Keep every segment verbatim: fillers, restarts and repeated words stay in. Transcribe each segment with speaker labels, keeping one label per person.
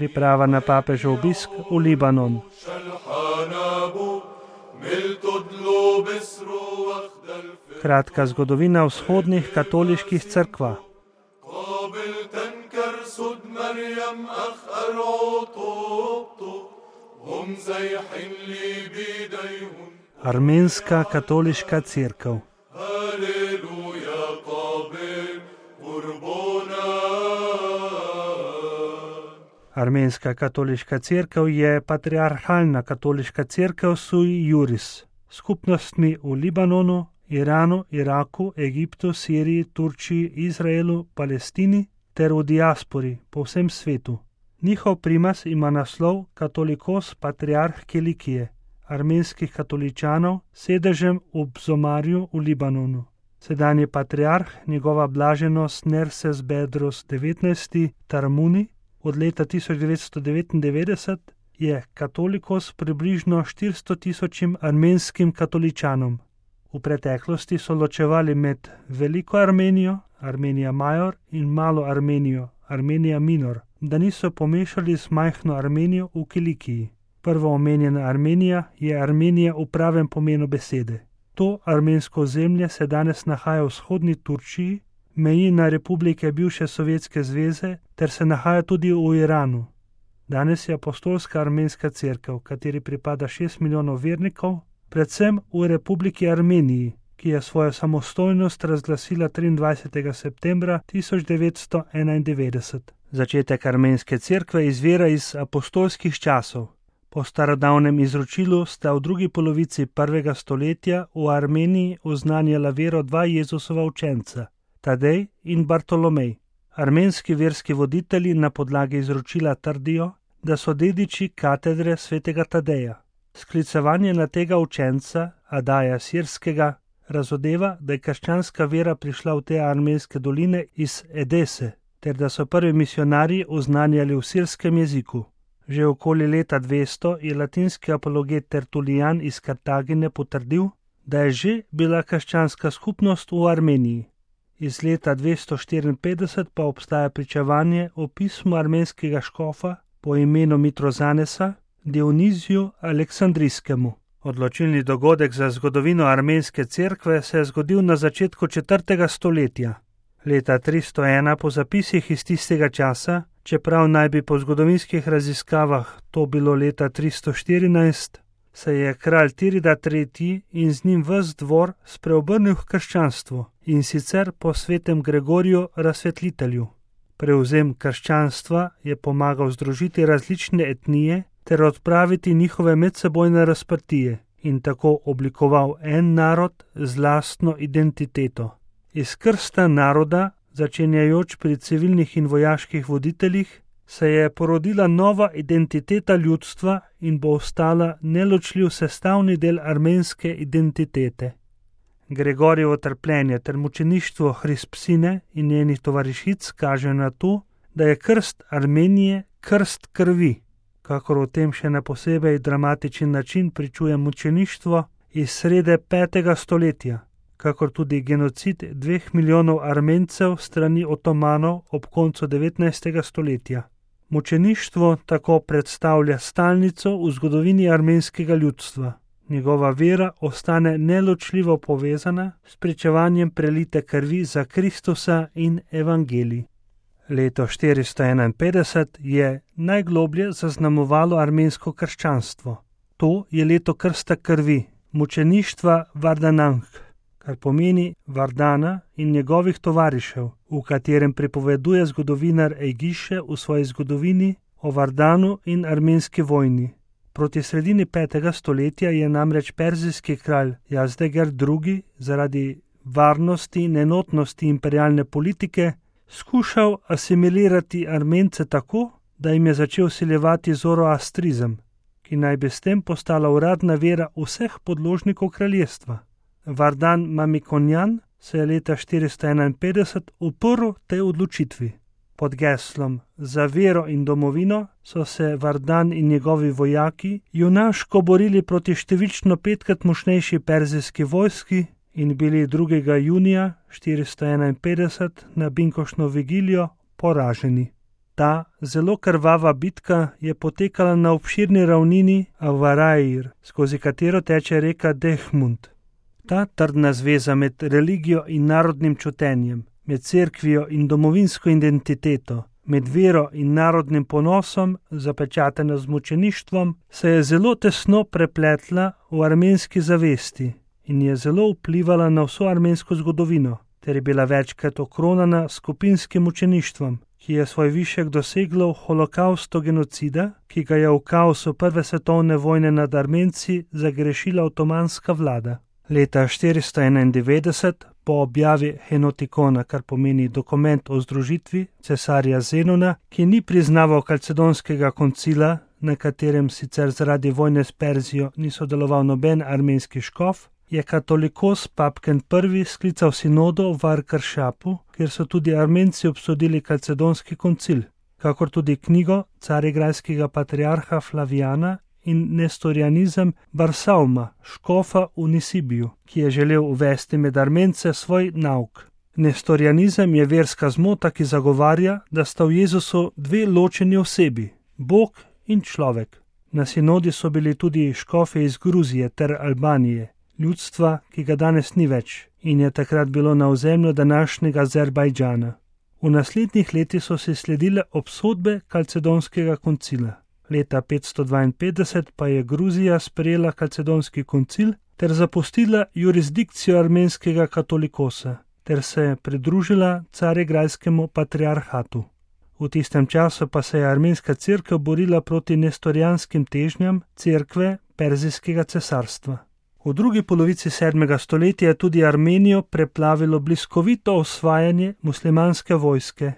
Speaker 1: Priprava na papežev obisk v Libanon. Kratka zgodovina vzhodnih katoliških cerkva. Armenska katoliška cerkev. Armenska katoliška cerkev je patriarhalna katoliška cerkev sui juris, s skupnostmi v Libanonu, Iranu, Iraku, Egiptu, Siriji, Turčiji, Izraelu, Palestini ter v diaspori po vsem svetu. Njihov primas ima naslov Katolikos patriarh Kilikije, armenskih katoličanov, sedežem v Bzomarju v Libanonu. Sedanji patriarh, njegova blaženost Nerses Bedros devetnajsti Tarmuni, od leta tisoč devetsto devetindevetdeset je katolikos približno štiristo tisočim armenskim katoličanom. V preteklosti so ločevali med Veliko Armenijo, Armenija Major, in Malo Armenijo, Armenija Minor, da niso pomešali z majhno Armenijo v Kilikiji. Prvo omenjena Armenija je Armenija v pravem pomenu besede. To armensko ozemlje se danes nahaja v vzhodni Turčiji, meji na republike bivše Sovjetske zveze ter se nahaja tudi v Iranu. Danes je apostolska armenska cerkev, kateri pripada šest milijonov vernikov, predvsem v Republiki Armeniji, ki je svojo samostojnost razglasila triindvajsetega septembra tisoč devetsto enaindevetdeset. Začetek armenske cerkve izvira iz apostolskih časov. Po starodavnem izročilu sta v drugi polovici prvega stoletja v Armeniji oznanjala vero dva Jezusova učenca, Tadej in Bartolomej. Armenski verski voditelji na podlagi izročila trdijo, da so dediči katedre svetega Tadeja. Sklicevanje na tega učenca, Adaja Sirskega, razodeva, da je krščanska vera prišla v te armenske doline iz Edese, ter da so prvi misionarji oznanjali v sirskem jeziku. Že okoli leta dvesto je latinski apologet Tertulijan iz Kartagine potrdil, da je že bila krščanska skupnost v Armeniji. Iz leta dvesto štiriinpetdeset pa obstaja pričevanje o pismu armenskega škofa po imenu Mitrozanesa, Dioniziju Aleksandrijskemu. Odločilni dogodek za zgodovino armenske cerkve se je zgodil na začetku četrtega stoletja. Leta tristo ena po zapisih iz tistega časa, čeprav naj bi po zgodovinskih raziskavah to bilo leta tristo štirinajst, se je kralj Tirida tretji in z njim ves dvor spreobrnil v krščanstvo, in sicer po svetem Gregoriju Razsvetlitelju. Prevzem krščanstva je pomagal združiti različne etnije ter odpraviti njihove medsebojne razprtije in tako oblikoval en narod z lastno identiteto. Iz krsta naroda, začenjajoč pri civilnih in vojaških voditeljih, se je porodila nova identiteta ljudstva in bo ostala neločljiv sestavni del armenske identitete. Gregorjevo trpljenje ter mučeništvo Hrispsine in njenih tovarišic kaže na to, da je krst Armenije krst krvi, kakor o tem še na posebej dramatičen način pričuje mučeništvo iz srede petega stoletja, kakor tudi genocid dveh milijonov Armencev strani Otomanov ob koncu devetnajstega stoletja. Mučeništvo tako predstavlja stalnico v zgodovini armenskega ljudstva. Njegova vera ostane neločljivo povezana s pričevanjem prelite krvi za Kristusa in evangelij. Leto štiristo enainpetdeset je najgloblje zaznamovalo armensko krščanstvo. To je leto krsta krvi, mučeništva Vardanank, kar pomeni Vardana in njegovih tovarišev, v katerem pripoveduje zgodovinar Ejgiše v svoji zgodovini o Vardanu in armenski vojni. Proti sredini petega stoletja je namreč perzijski kralj Jazdeger drugi zaradi varnosti in enotnosti imperialne politike skušal asimilirati Armence tako, da jim je začel vsiljevati zoroastrizem, ki naj bi s tem postala uradna vera vseh podložnikov kraljestva. Vardan Mamikonjan se je leta štiristo enainpetdeset uprl tej odločitvi. Pod geslom Za vero in domovino so se Vardan in njegovi vojaki junaško borili proti številčno petkrat močnejši perzijski vojski in bili drugega junija štiristo enainpetdeset na binkoštno vigilijo poraženi. Ta zelo krvava bitka je potekala na obširni ravnini Avarair, skozi katero teče reka Dehmund. Ta trdna zveza med religijo in narodnim čutenjem, med cerkvijo in domovinsko identiteto, med vero in narodnim ponosom, zapečatena z mučeništvom, se je zelo tesno prepletla v armenski zavesti in je zelo vplivala na vso armensko zgodovino, ter je bila večkrat okronana skupinskim mučeništvom, ki je svoj višek doseglo v holokaustu genocida, ki ga je v kaosu prve svetovne vojne nad Armenci zagrešila otomanska vlada. Leta štiristo enaindevetdeset, po objavi Henotikona, kar pomeni dokument o združitvi cesarja Zenona, ki ni priznaval kalcedonskega koncila, na katerem sicer zaradi vojne s Perzijo ni sodeloval noben armenski škof, je katolikos Papken prvi sklical sinodo v Arkaršapu, kjer so tudi Armenci obsodili kalcedonski koncil, kakor tudi knjigo carigrajskega patriarha Flavijana in nestorianizem Barsauma, škofa v Nisibiju, ki je želel uvesti med Armence svoj nauk. Nestorianizem je verska zmota, ki zagovarja, da sta v Jezusu dve ločeni osebi, Bog in človek. Na sinodi so bili tudi škofe iz Gruzije ter Albanije, ljudstva, ki ga danes ni več in je takrat bilo na ozemlju današnjega Azerbajdžana. V naslednjih letih so se sledile obsodbe kalcedonskega koncila. Leta petsto dvainpetdeset pa je Gruzija sprejela kalcedonski koncil ter zapustila jurisdikcijo armenskega katolikosa ter se pridružila carigrajskemu patriarhatu. V tistem času pa se je armenska cerkev borila proti nestorijanskim težnjam cerkve Perzijskega cesarstva. V drugi polovici sedmega stoletja je tudi Armenijo preplavilo bliskovito osvajanje muslimanske vojske.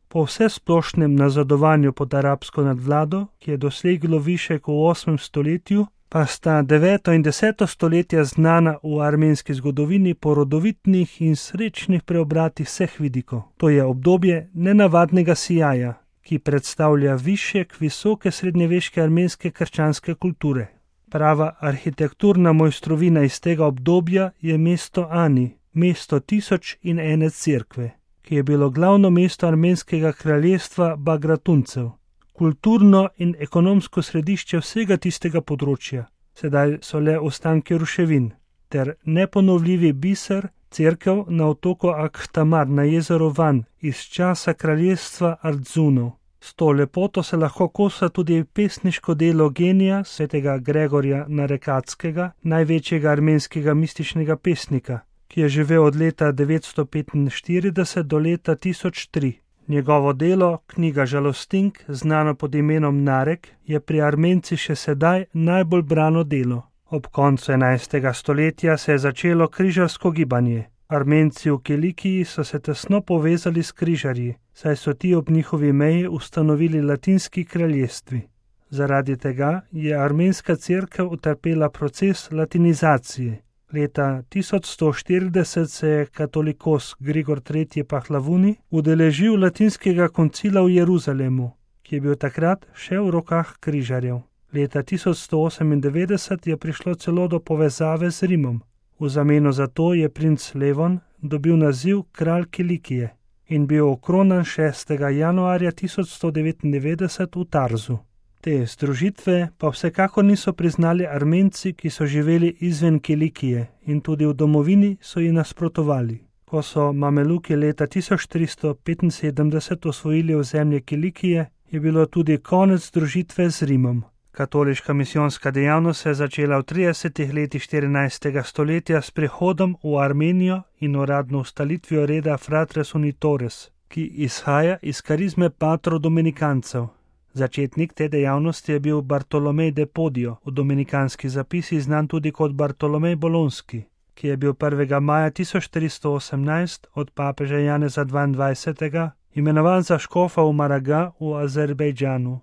Speaker 1: Po vsesplošnem nazadovanju pod arabsko nadvlado, ki je doseglo višek v osmem stoletju, pa sta deveto in deseto stoletje znana v armenski zgodovini po rodovitnih in srečnih preobratih vseh vidikov. To je obdobje nenavadnega sijaja, ki predstavlja višek visoke srednjeveške armenske krščanske kulture. Prava arhitekturna mojstrovina iz tega obdobja je mesto Ani, mesto tisoč in ene cerkve, ki je bilo glavno mesto armenskega kraljestva Bagratuncev, kulturno in ekonomsko središče vsega tistega področja. Sedaj so le ostanki ruševin, ter neponovljivi biser cerkev na otoku Akhtamar na jezeru Van iz časa kraljestva Ardzunov. S to lepoto se lahko kosa tudi pesniško delo genija svetega Gregorja Narekatskega, največjega armenskega mističnega pesnika, ki je živel od leta devetsto petinštirideset do leta tisoč tri. Njegovo delo, knjiga Žalostink, znano pod imenom Narek, je pri Armenci še sedaj najbolj brano delo. Ob koncu enajstega stoletja se je začelo križarsko gibanje. Armenci v Kilikiji so se tesno povezali s križarji, saj so ti ob njihovi meji ustanovili latinski kraljestvi. Zaradi tega je armenska cerkev utrpela proces latinizacije. Leta tisoč sto štirideset se je katolikos Grigor tretji Pahlavuni udeležil latinskega koncila v Jeruzalemu, ki je bil takrat še v rokah križarjev. Leta tisoč sto osemindevetdeset je prišlo celo do povezave z Rimom. V zameno za to je princ Levon dobil naziv kralj Kilikije in bil okronan šestega januarja tisoč sto devetindevetdeset v Tarzu. Te združitve pa vsekakor niso priznali Armenci, ki so živeli izven Kilikije in tudi v domovini so ji nasprotovali. Ko so Mameluki leta tisoč tristo petinsedemdeset osvojili ozemlje Kilikije, je bilo tudi konec združitve z Rimom. Katoliška misijonska dejavnost se je začela v tridesetih letih štirinajstega stoletja s prihodom v Armenijo in uradno ustanovitvijo reda Fratres Unitores, ki izhaja iz karizme patrov dominikancev. Začetnik te dejavnosti je bil Bartolomej de Podio, v dominikanski zapisi znan tudi kot Bartolomej Bolonski, ki je bil prvega maja tisoč tristo osemnajst od papeža Janeza dvaindvajsetega imenovan za škofa v Maraga v Azerbajdžanu.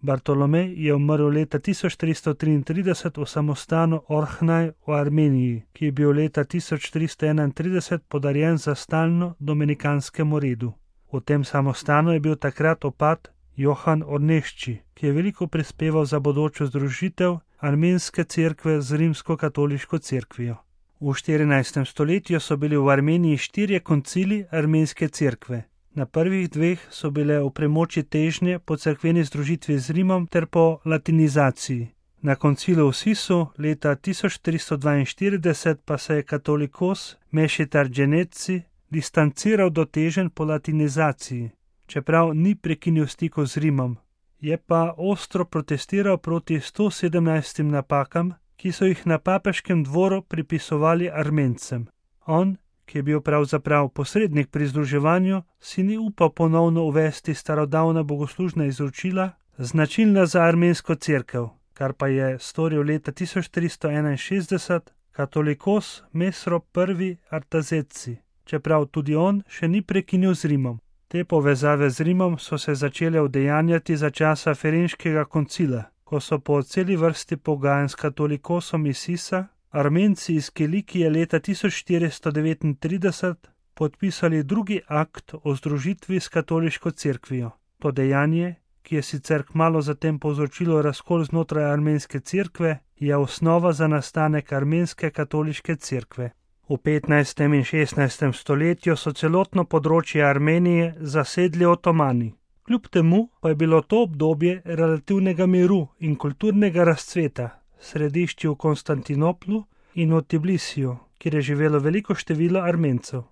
Speaker 1: Bartolomej je umrl leta tisoč tristo triintrideset v samostanu Orhnaj v Armeniji, ki je bil leta tisoč tristo enaintrideset podarjen za stalno dominikanskemu redu. V tem samostanu je bil takrat opat Johan Ornešči, ki je veliko prispeval za bodočo združitev armenske cerkve z rimsko-katoliško cerkvijo. V štirinajstem stoletju so bili v Armeniji štirje koncili armenske cerkve. Na prvih dveh so bile v premoči težnje po cerkveni združitvi z Rimom ter po latinizaciji. Na koncilu v Sisu leta tisoč tristo dvainštirideset pa se je katolikos Mešitar Dženetci distanciral do teženj po latinizaciji, čeprav ni prekinil stikov z Rimom. Je pa ostro protestiral proti sto sedemnajstim napakam, ki so jih na papeškem dvoru pripisovali Armencem. On, ki je bil pravzaprav posrednik pri združevanju, si ni upal ponovno uvesti starodavna bogoslužna izročila, značilna za armensko cerkev, kar pa je storil leta tisoč tristo enainšestdeset katolikos Mesro prvi Artazetci, čeprav tudi on še ni prekinil z Rimom. Te povezave z Rimom so se začele udejanjati za časa Ferenškega koncila, ko so po celi vrsti pogajanj s katolikosom iz Sisa Armenci iz Kilikije leta tisoč štiristo devetintrideset podpisali drugi akt o združitvi s katoliško cerkvijo. To dejanje, ki je sicer kmalu zatem povzročilo razkol znotraj armenske cerkve, je osnova za nastanek armenske katoliške cerkve. V petnajstem in šestnajstem stoletju so celotno področje Armenije zasedli Otomani. Kljub temu pa je bilo to obdobje relativnega miru in kulturnega razcveta, središči v Konstantinoplu in v Tbilisiju, kjer je živelo veliko število Armencev.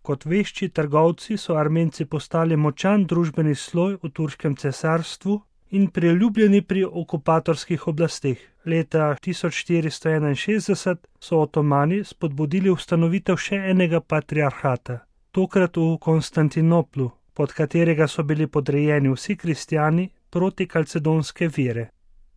Speaker 1: Kot vešči trgovci so Armenci postali močan družbeni sloj v turškem cesarstvu in priljubljeni pri okupatorskih oblasteh. Leta tisoč štiristo enainšestdeset so Otomani spodbudili ustanovitev še enega patriarhata, tokrat v Konstantinoplu, pod katerega so bili podrejeni vsi kristjani proti kalcedonske vere.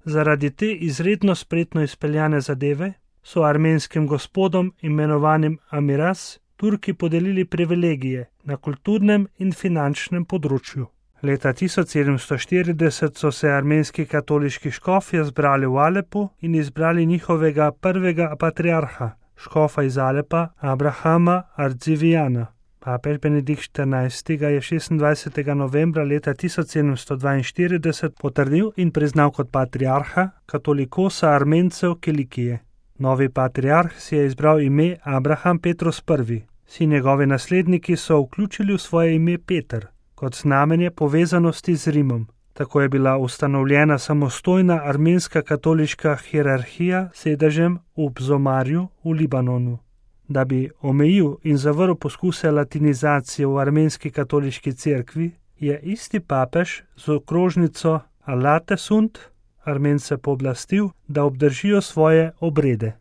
Speaker 1: Zaradi te izredno spretno izpeljane zadeve so armenskim gospodom, imenovanim Amiras, Turki podelili privilegije na kulturnem in finančnem področju. Leta tisoč sedemsto štirideset so se armenski katoliški škofje zbrali v Alepu in izbrali njihovega prvega patriarha, škofa iz Alepa, Abrahama Ardzivijana. Papež Benedikt štirinajsti ga je šestindvajsetega novembra leta tisoč sedemsto dvainštirideset potrdil in priznal kot patriarha katolikosa Armencev Kilikije. Novi patriarh si je izbral ime Abraham Petrus prvi. Vsi njegovi nasledniki so vključili v svoje ime Peter, kot znamenje povezanosti z Rimom. Tako je bila ustanovljena samostojna armenska katoliška hierarhija s sedežem v Bzomarju v Libanonu. Da bi omejil in zavrl poskuse latinizacije v armenski katoliški cerkvi, je isti papež z okrožnico Alate Sunt Armence pooblastil, da obdržijo svoje obrede.